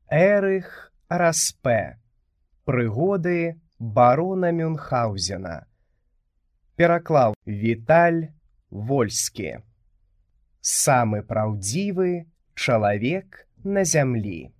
Эрых Распе. Прыгоды барона Мюнхгаузена. Пераклаў Віталь Вольскі. Самы праўдзівы чалавек на зямлі.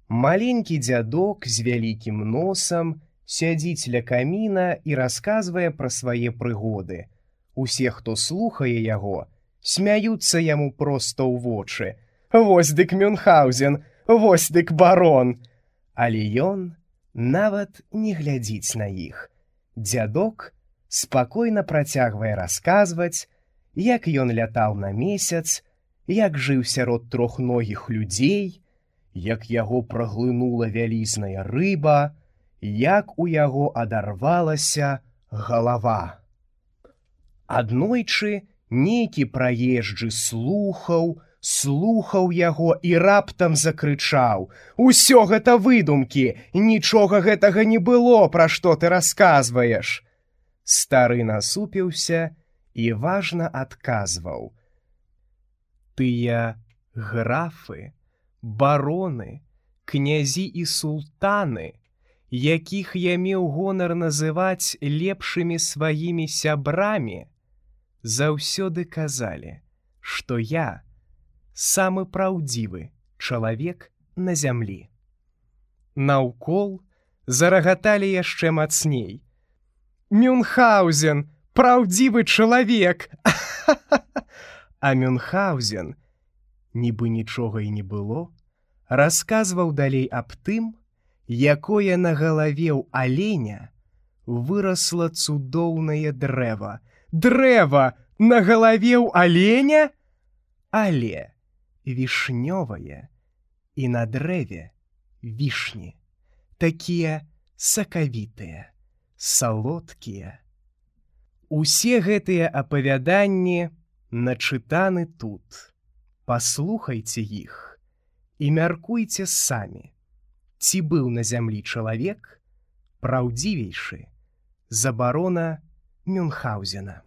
Маленькі дзядок з вялікім носам сядзіць ля каміна і расказвае пра свае прыгоды. Усе, хто слухае яго, смяюцца яму проста ў вочы. Вось дык Мюнхгаузен, вось дык барон. Але ён нават не глядзіць на іх. Дзядок спакойна працягвае расказваць, як ён лятаў на месяц, як жыў сярод трохногіх людзей, як яго праглынула вялізная рыба, як у яго адарвалася галава. Аднойчы нейкі праезджы слухаў яго і раптам закрычаў: «Усё гэта выдумкі! Нічога гэтага не было, пра што ты расказваеш!» Стары насупіўся і важна адказваў: «Тыя графы, бароны, князі і султаны, якіх я меў гонар называць лепшымі сваімі сябрамі, заўсёды казалі, што я самы праўдзівы чалавек на зямлі». Наўкол зарагаталі яшчэ мацней. «Мюнхгаузен, праўдзівы чалавек!» А Мюнхгаузен, нібы нічога і не было, расказваў далей аб тым, якое на галаве ў аленя вырасла цудоўнае дрэва. Дрэва на галаве ў аленя? Але вішнёвае, і на дрэве вішні, такія сакавітыя, салодкія. Усе гэтыя апавяданні начытаны тут. Паслухайце іх і мяркуйце самі, ці быў на зямлі чалавек праўдзівейшы за барона Мюнхгаузена.